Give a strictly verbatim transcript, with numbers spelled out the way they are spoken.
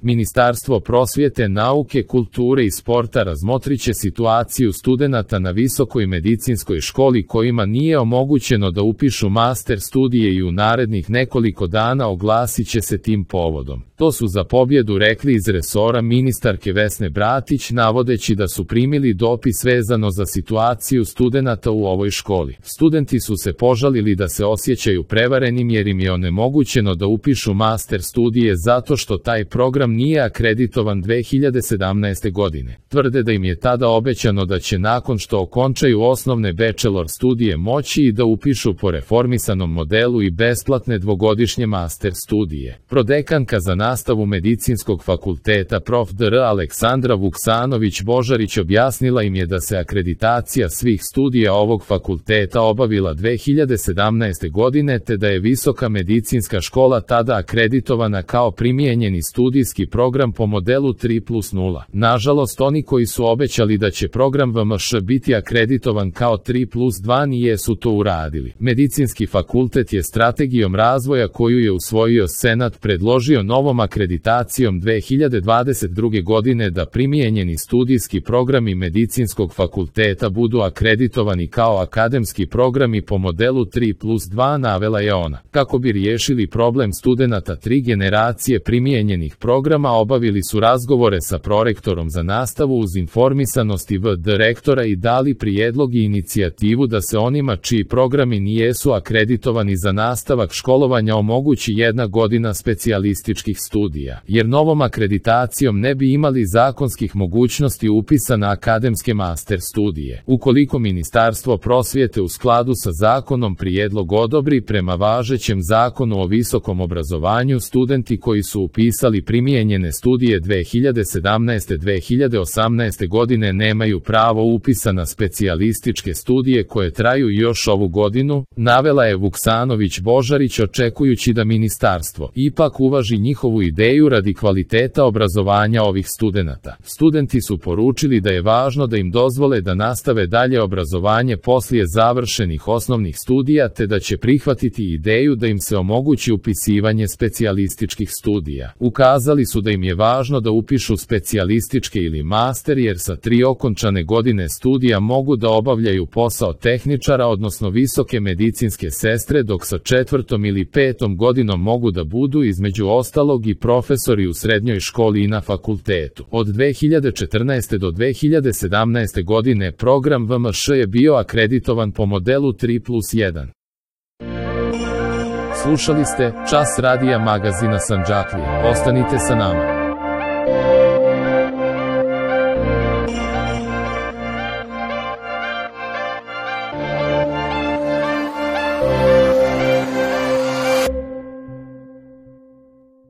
Ministarstvo prosvjete, nauke, kulture i sporta razmotriće situaciju studenata na Visokoj medicinskoj školi kojima nije omogućeno da upišu master studije i u narednih nekoliko dana oglasit će se tim povodom. To su za pobjedu rekli iz resora ministarke Vesne Bratić, navodeći da su primili dopis vezano za situaciju studenata u ovoj školi. Studenti su se požalili da se osjećaju prevarenim jer im je onemogućeno da upišu master studije zato što taj program nije akreditovan dve hiljade sedamnaeste. godine. Tvrde da im je tada obećano da će nakon što okončaju osnovne bachelor studije moći i da upišu po reformisanom modelu i besplatne dvogodišnje master studije. Prodekanka za nastavu Medicinskog fakulteta prof dr Aleksandra Vuksanović-Božarić objasnila im je da se akreditacija svih studija ovog fakulteta obavila dve hiljade sedamnaeste. godine te da je Visoka medicinska škola tada akreditovana kao primijenjeni studijski program po modelu tri plus nula. Nažalost, oni koji su obećali da će program V M Š biti akreditovan kao tri plus dva nijesu to uradili. Medicinski fakultet je strategijom razvoja koju je usvojio Senat predložio novom akreditacijom dve hiljade dvadeset druge. godine da primijenjeni studijski programi Medicinskog fakulteta budu akreditovani kao akademski programi po modelu tri plus dva, navela je ona. Kako bi riješili problem studenata tri generacije primijenjenih programa, obavili su razgovore sa prorektorom za nastavu uz informisanost i v d rektora i dali prijedlog i inicijativu da se onima čiji programi nijesu akreditovani za nastavak školovanja omogući jedna godina specijalističkih studija, jer novom akreditacijom ne bi imali zakonskih mogućnosti upisa na akademske master studije. Ukoliko Ministarstvo prosvjete u skladu sa zakonom prijedlog odobri, prema važećem zakonu o visokom obrazovanju, studenti koji su upisali primijenjene studije dve hiljade sedamnaeste. do dve hiljade osamnaeste. godine nemaju pravo upisa na specijalističke studije koje traju još ovu godinu, navela je Vuksanović-Božarić, očekujući da ministarstvo ipak uvaži njihovu ideju radi kvaliteta obrazovanja ovih studenata. Studenti su poručili da je važno da im dozvole da nastave dalje obrazovanje poslije završenih osnovnih studija te da će prihvatiti ideju da im se omogući upisivanje specijalističkih studija. Ukazali su da im je važno da upišu specijalističke ili master jer sa tri okončane godine studija mogu da obavljaju posao tehničara odnosno visoke medicinske sestre, dok sa četvrtom ili petom godinom mogu da budu između ostalog i profesori u srednjoj školi i na fakultetu. Od dve hiljade četrnaeste. do dve hiljade sedamnaeste. godine program V M Š je bio akreditovan po modelu tri plus jedan. Slušali ste Čas radija magazina Sandžaklija. Ostanite sa nama.